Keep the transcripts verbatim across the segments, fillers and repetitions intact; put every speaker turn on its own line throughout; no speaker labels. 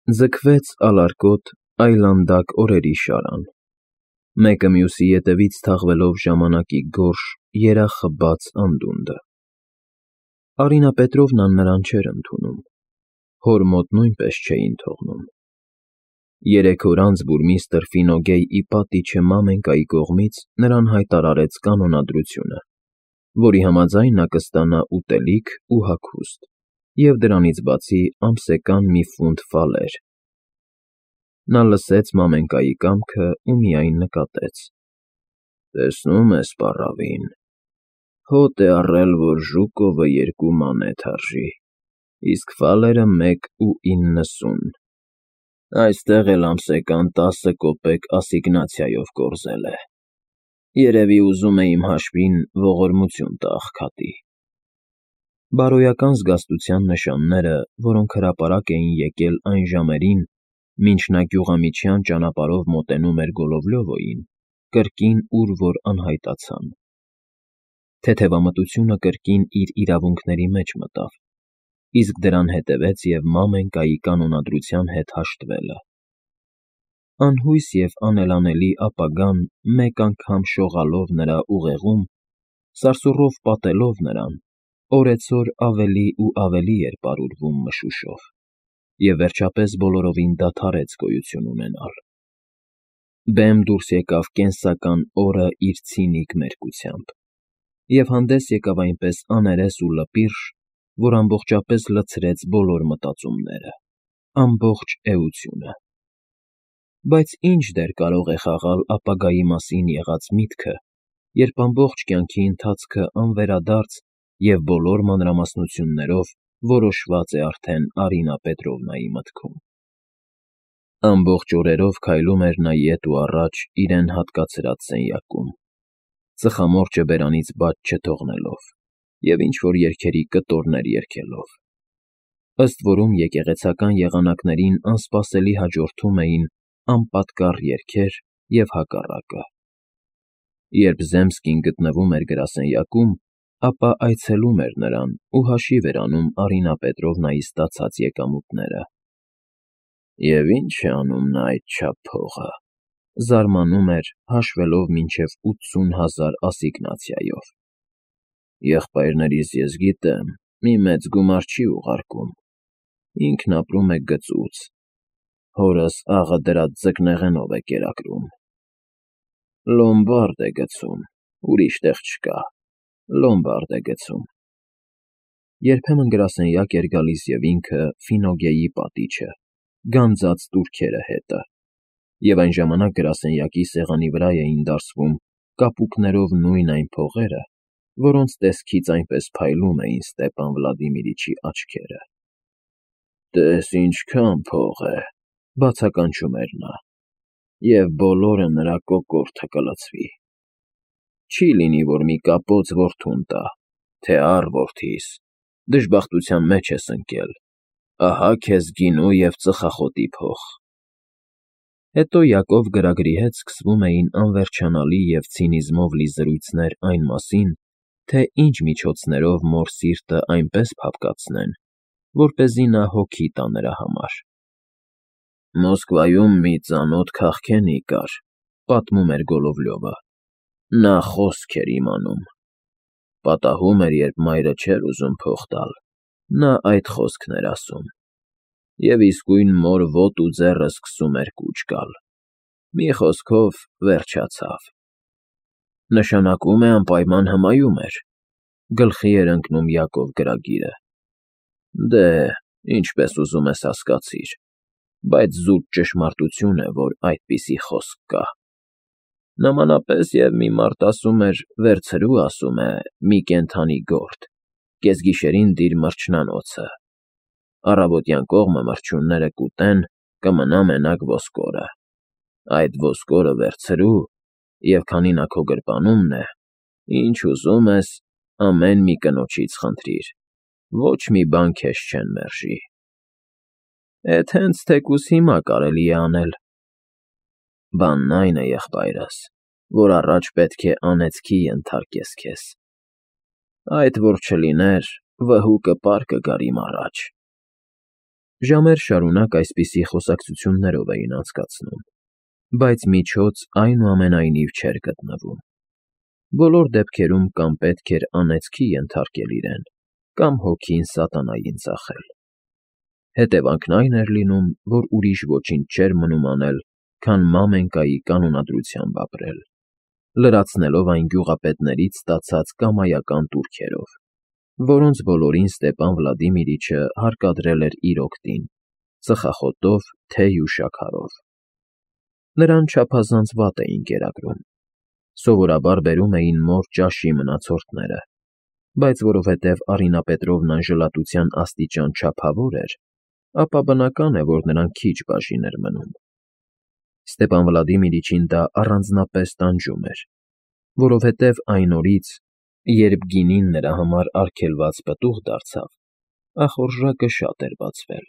Ձգվեց ալարկոտ, այլանդակ օրերի շարան, մեկը մյուսի ետևից թաղվելով ժամանակի գորշ, երախխբած անդունդը. Արինա Պետրովնան նրան չէր ընդունում, հոր մոտ նույնպես չէին թողնում. երեք օր անց բուրմիստրը Ֆինոգեյի պատիչը Մամենկայի կողմից նրան հայտարարեց կանոնադրությունը, որի համաձայն նա կստանա ուտելիք ու հագուստ և դրանից բացի ամսական մի ֆունտ ֆալեր. նա լսեց Մամենկայի կամքը ու միայն նկատեց. «Տեսնում ես, պառավին, հոտ է առել, որ Ժուկովը երկու մանեթ արժի, իսկ ֆալերը մեկ ու իննսուն, այստեղ էլ ամսական տասը կոպեկ ասիգնացիայով կորզել է, երևի ուզում է իմ հաշվին ողորմություն տա աղքատի»։ Բարոյական զգաստության նշանները, որոնք հրապարակ էին եկել այն ժամերին, մինչ նա գյուղամիջյան ճանապարհով մոտենում էր Գոլովլյովոյին, կրկին ուր֊որ անհայտացան. թեթևամտությունը կրկին իր իրավունքների մեջ մտավ, իսկ դրան հետևեց և Մամենկայի կանոնադրության հետ հաշտվելը. անհույս և անելանելի ապագան մեկ անգամ շողալով նրա ուղեղում, սարսուռով պատելով նրան, օրեցօր ավելի ու ավելի էր պարուրվում մշուշով և վերջապես բոլորովին դադարեց գոյություն ունենալ. բեմ դուրս եկավ կենսական օրը իր ցինիկ մերկությամբ և հանդես եկավ այնպես աներես ու լպիրշ, որ ամբողջապես լցրեց բոլոր մտածումները, ամբողջ էությունը։ Բայց ի՞նչ դեր կարող է խաղալ ապագայի մասին եղած միտքը, երբ ամբողջ կյանքի ընթացքը անվերադարձ և բոլոր մանրամասնություններով որոշված է արդեն Արինա Պետրովնայի մտքում։ Ամբողջ օրերով քայլում էր նա ետ ու առաջ իրեն հատկացրած սենյակում, ծխամորճը բերանից բաց չթողնելով և ինչ֊որ երգերի կտորներ երգելով, ըստ որում եկեղեցական եղանակներին անսպասելի հաջորդում էին անպատկառ երգեր և հակառակը։ Երբ Զեմսկին գտնվում էր գրասենյակում, ապա այցելում էր նրան ու հաշիվ էր անում Արինա Պետրովնայի ստացած եկամուտները։ «Եվ ի՞նչ է անում նա այդչափ փողը», զարմանում էր, հաշվելով մինչև ութսուն հազար ասիգնացիայով։ «Եղբայրներիս ես գիտեմ, մի մեծ գումար չի ուղարկում, ինքն ապրում է գծուծ, հորս աղը դրա ձկնեղենով է կերակրում։ Լոմբարդ է գցում, ուրիշ տեղ չկա, լոմբարդ է գցում»։ Երբեմն գրասենյակ էր գալիս և ինքը Ֆինոգեյի պատիչը, գանձած տուրքերը հետը, և այն ժամանակ գրասենյակի սեղանի վրա էին դարսվում կապուկներով նույն այն փողերը, որոնց տեսքից այնպես փայլում էին Ստեպան Վլադիմիրիչի աչքերը։ «Տես ինչքան փող է», բացականչում էր նա, «և բոլորը նրա կոկորդը կլցվի։ Չի լինի, որ մի կապոց որդուն տա, թե առ որդիս, դժբախտության մեջ ես ընկել, ահա քեզ գինու և ծխախոտի փող»։ Հետո Յակով գրագրի հետ սկսվում էին անվերջանալի և ցինիզմով լի զրույցներ այն մասին, թե ինչ միջոցներով մոր սիրտը այնպես փափկացնեն, որպեսզի նա հոգի տա նրա համար։ «Մոսկվայում մի ծանոթ քաղքենի կար», պատմում էր Գոլովլյովը, «նա խոսք էր իմանում։ Պատահում էր, երբ մայրը չէր ուզում փող տալ, նա այդ խոսքն էր ասում, և իսկույն մոր ոտ ու ձեռը սկսում էր կուչ գալ, մի խոսքով, վերջացավ։ Նշանակում է անպայման հմայում էր», գլխի էր ընկնում Յակով գրագիրը։ «Դե, ինչպես ուզում ես հասկացիր, բայց զուտ ճշմարտություն է, որ այդպիսի խոսք կա։ Նմանապես և մի մարդ ասում էր, վերցրու, ասում է, մի կենդանի գործ, կեսգիշերին դիր մրջնանոցը, առավոտյան կողմը մրջյունները կուտեն, կմնա մենակ ոսկորը, այդ ոսկորը վերցրու, և քանի նա քո գրպանումն է, ինչ ուզում ես, ամեն մի կնոջից խնդրիր, ոչ մի բան քեզ չեն մերժի։ Էդ հենց թեկուզ հիմա կարելի է անել։ Բանն այն է, եղբայրս, որ առաջ պետք է անեծքի ենթարկես քեզ։ Այդ որ չլիներ, վհուկը պար կգար իմ առաջ»։ Ժամեր շարունակ այսպիսի խոսակցություններով էին անցկացնում, բայց միջոց այնուամենայնիվ չէր գտնվում. բոլոր դեպքերում կամ պետք էր անեծքի ենթարկել իրեն, կամ հոգին սատանային ծախել. հետևանքն այն էր լինում, որ ուրիշ ոչինչ չէր մնում անել, քան մամենկայի կանոնադրությամբ ապրել, լրացնելով այն գյուղապետներից ստացած կամայական տուրքերով, որոնց բոլորին Ստեպան Վլադիմիրիչը հարկադրել էր իր օգտին, ծխախոտով, թեյ ու շաքարով. նրան չափազանց վատ էին կերակրում, սովորաբար բերում էին մոր ճաշի մնացորդները, բայց որովհետև Արինա Պետրովնան ժլատության աստիճան չափավոր էր, ապա բնական է, որ նրան քիչ բաժին էր մնում. Ստեպան Վլադիմիրիչին դա առանձնապես տանջում էր, որովհետև այն օրից, երբ գինին նրա համար արգելված պտուղ դարձավ, ախորժակը շատ էր բացվել.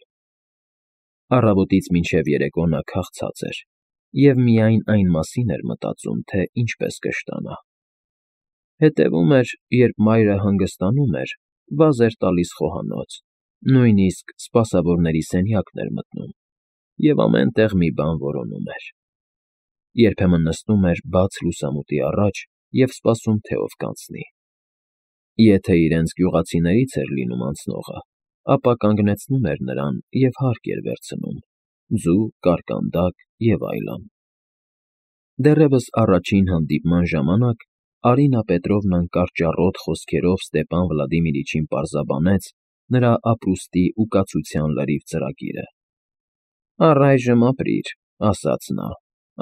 առավոտից մինչև երեկո նա քաղցած էր և միայն այն մասին էր մտածում, թե ինչպես կշտանա. հետևում էր, երբ մայրը հանգստանում էր, վազ էր տալիս խոհանոց, նույնիսկ սպասավորների սենյակն էր մտնում և ամեն տեղ մի բան որոնում էր. երբեմն նստում էր բաց լուսամուտի առաջ և սպասում, թե ով կանցնի. եթե իրենց գյուղացիներից էր լինում անցնողը, ապա կանգնեցնում էր նրան և հարկ էր վերցնում, ձու, կարկանդակ և այլն. դեռևս առաջին հանդիպման ժամանակ Արինա Պետրովնան կարճառոտ խոսքերով Ստեպան Վլադիմիրիչին պարզաբանեց նրա ապրուստի ու կացության լրիվ ծրագիրը. «Առայժմ ապրիր,֊ ասաց նա,֊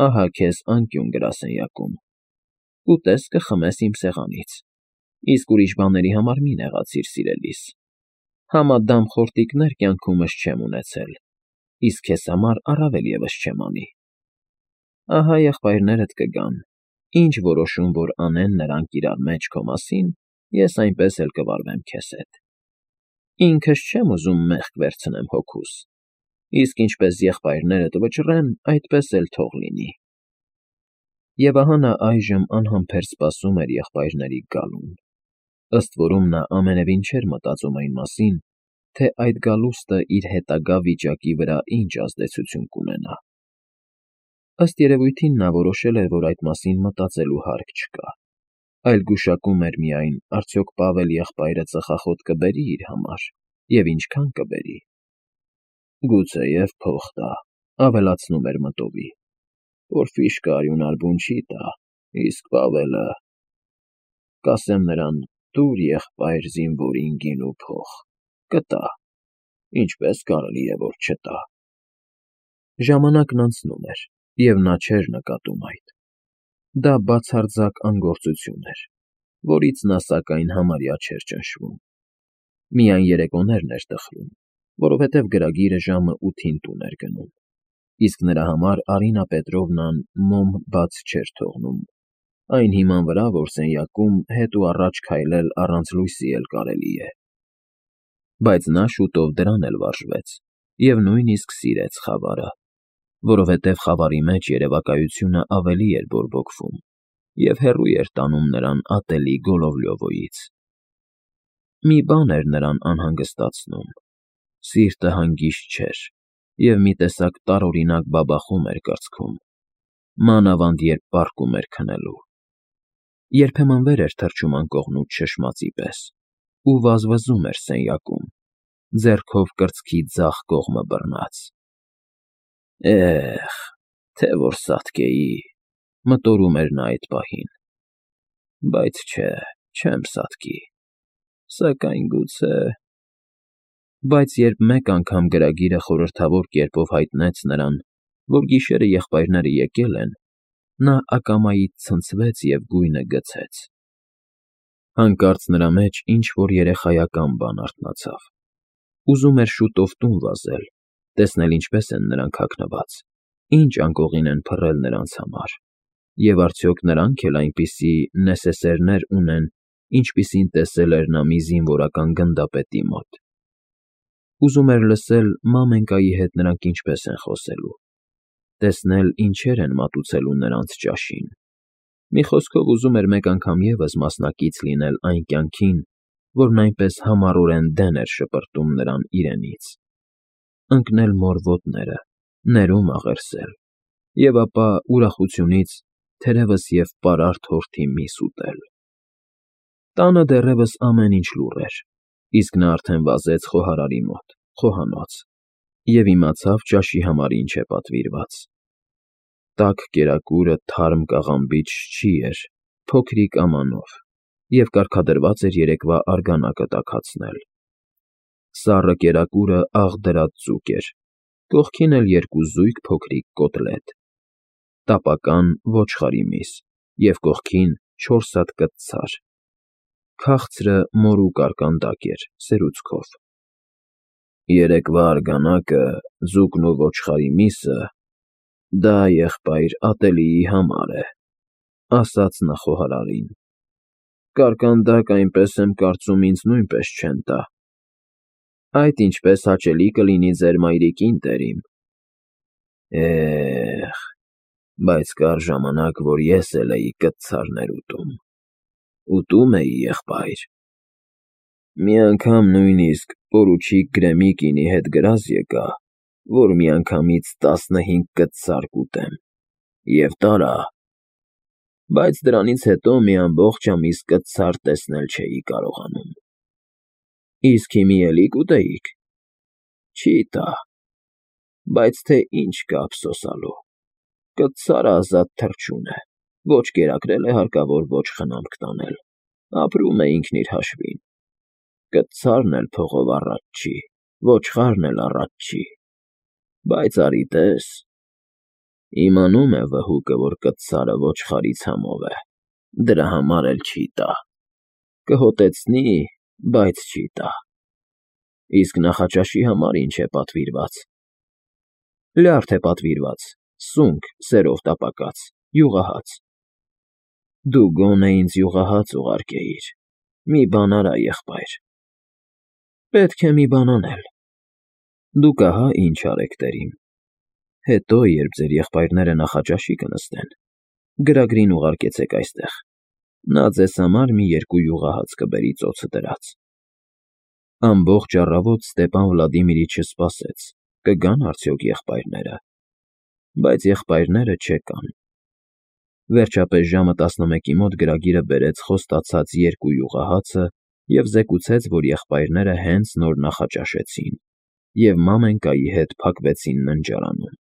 ահա քեզ անկյուն գրասենյակում, կուտես, կխմես իմ սեղանից, իսկ ուրիշ բաների համար մի նեղացիր, սիրելիս, համադամ խորտիկներ կյանքումս չեմ ունեցել, իսկ քեզ համար առավել ևս չեմ անի. ահա եղբայրներդ կգան, ինչ որոշում որ անեն նրանք իրար մեջ քո մասին, ես այնպես էլ կվարվեմ քեզ հետ. ինքս չեմ ուզում մեղք վերցնեմ հոգուս, իսկ ինչպես եղբայրներդ վճռեն, այդպես էլ թող լինի»։ Եվ ահա նա այժմ անհամբեր սպասում էր եղբայրների գալուն, ըստ որում նա ամենևին չէր մտածում այն մասին, թե այդ գալուստը իր հետագա վիճակի վրա ինչ ազդեցություն կունենա. ըստ երևույթին նա որոշել էր, որ այդ մասին մտածելու հարկ չկա, այլ գուշակում էր միայն, արդյոք Պավել եղբայրը ծխախոտ կբերի՞ իր համար և ինչքան կբերի։ «Գուցեև փող տա,֊ ավելացնում էր մտովի,֊ Պորֆիրշկը արյունար բուն չի տա, իսկ Պավելը… կասեմ նրան. տուր, եղբայր, զինվորին գին ու փող, կտա, ինչպես կարելի է, որ չտա»։ Ժամանակն անցնում էր, և նա չէր նկատում այդ. դա բացարձակ անգործություն էր, որից նա սակայն համարյա չէր ճնշվում. միայն երեկոներն էր տխրում, որովհետև գրագիրը ժամը ութին տուն էր գնում, իսկ նրա համար Արինա Պետրովնան մոմ բաց չէր թողնում, այն հիման վրա, որ սենյակում հետ ու առաջ քայլել առանց լույսի էլ կարելի է։ Բայց նա շուտով դրան էլ վարժվեց և նույնիսկ սիրեց խավարը, որովհետև խավարի մեջ երևակայությունը ավելի էր բորբոքվում և հեռու էր տանում նրան ատելի Գոլովլյովոյից։ Մի բան էր նրան անհանգստացնում. սիրտը հանգիստ չէր և մի տեսակ տարօրինակ բաբախում էր կրծքում, մանավանդ երբ պառկում էր քնելու։ Երբեմն վեր էր թռչում անկողնուց շշմածի պես ու վազվզում էր սենյակում, ձեռքով կրծքի ձախ կողմը բռնած։ «Էհ, թե որ սատկեի,֊ մտորում էր նա այդ պահին,֊ բայց չէ, չեմ սատկի, սակայն գուցե…» Բայց երբ մեկ անգամ գրագիրը խորհրդավոր կերպով հայտնեց նրան, որ գիշերը եղբայրները եկել են, նա ակամայից ցնցվեց և գույնը գցեց. հանկարծ նրա մեջ ինչ֊որ երեխայական բան արթնացավ. ուզում էր շուտով տուն վազել, տեսնել ինչպես են նրանք հագնված, ինչ անկողին են փռել նրանց համար, և արդյոք նրանք էլ այնպիսի նեսեսերներ ունեն, ինչպիսին տեսել էր նա մի զինվորական գնդապետի մոտ. ուզում էր լսել մամենկայի հետ նրանք ինչպես են խոսելու, տեսնել ինչեր են մատուցելու նրանց ճաշին, մի խոսքով ուզում էր մեկ անգամ ևս մասնակից լինել այն կյանքին, որն այնպես համառորեն դեն էր շպրտում նրան իրենից։ ընկնել մոր ոտները, ներում աղերսել, և ապա ուրախությունից թերևս և պարարտ հորթի միս ուտել։ Տանը դեռևս ամեն ինչ լուռ էր, իսկ նա արդեն վազեց խոհարարի մոտ, խոհանոց, և իմացավ ճաշի համար ինչ է պատվիրված. տաք կերակուրը թարմ կաղամբիչ շչի էր, փոքրիկ ամանով, և կարգադրված էր երեկվա արգանակը տաքացնել. սառը կերակուրը աղ դրած ձուկ էր, կողքին էլ երկու զույգ փոքրիկ կոտլետ, տապական ոչխարի միս և կողքին չորս հատ կցցար, քաղցրը մորու կարկանդակ էր, սերուցքով։ «Երեկվա արգանակը, ձուկն ու ոչխարի միսը, դա, եղբայր, ատելիի համար է,֊ ասաց նա խոհարարին,֊ կարկանդակ, այնպես եմ կարծում, ինձ նույնպես չեն տա։ Այդ ինչպես հաճելի կլինի ձեր մայրիկին, տերիմ։ Է՜խ, բայց կար ժամանակ, որ ես էլ էի կցցարներ ուտում, ուտում էի, եղբայր… Մի անգամ նույնիսկ պորուչիկ Գրեմիկինի հետ գրազ եկա, որ միանգամից տասնհինգ կցցար կուտեմ, և տարա, բայց դրանից հետո մի ամբողջ ամիս կցցար տեսնել չէի կարողանում։ Իսկ հիմի էլի կուտեիք… Չի տա, բայց թե ինչ կա ափսոսալու, կցցարը ազատ թռչուն է, ոչ կերակրել է հարկավոր, ոչ խնամք տանել, ապրում է ինքն իր հաշվին, կցցարն էլ փողով առաջ չի, ոչխարն էլ առաջ չի, բայց արի տես… Իմանում է վհուկը, որ կցցարը ոչխարի ցամով է, դրա համար էլ չի տա, կհոտեցնի, բայց չի տա։ Իսկ նախաճաշի համար ինչ է պատվիրված։ Լյարդ է պատվիրված, սունկ, սերով տապակած, յուղահաց։ Դու գոնե ինձ յուղահաց ուղարկեիր, մի բան արա, եղբայր։ Պետք է մի բան անել։ Դուք ահա ինչ արեք, տերիմ. հետո, երբ ձեր եղբայրները նախաճաշի կնստեն, գրագրին ուղարկեցեք այստեղ, նա ձեզ համար մի երկու յուղահաց կբերի ծոցը դրած։ Ամբողջ առավոտ Ստեպան Վլադիմիրիչը սպասեց՝ կգա՞ն արդյոք եղբայրները, բայց եղբայրները չեկան։ Վերջապես ժամը տասնմեկի մոտ գրագիրը բերեց խոստացած երկու յուղահացը և զեկուցեց, որ եղբայրները հենց նոր նախաճաշեցին և մամենկայի հետ փակվեցին ննջարանում։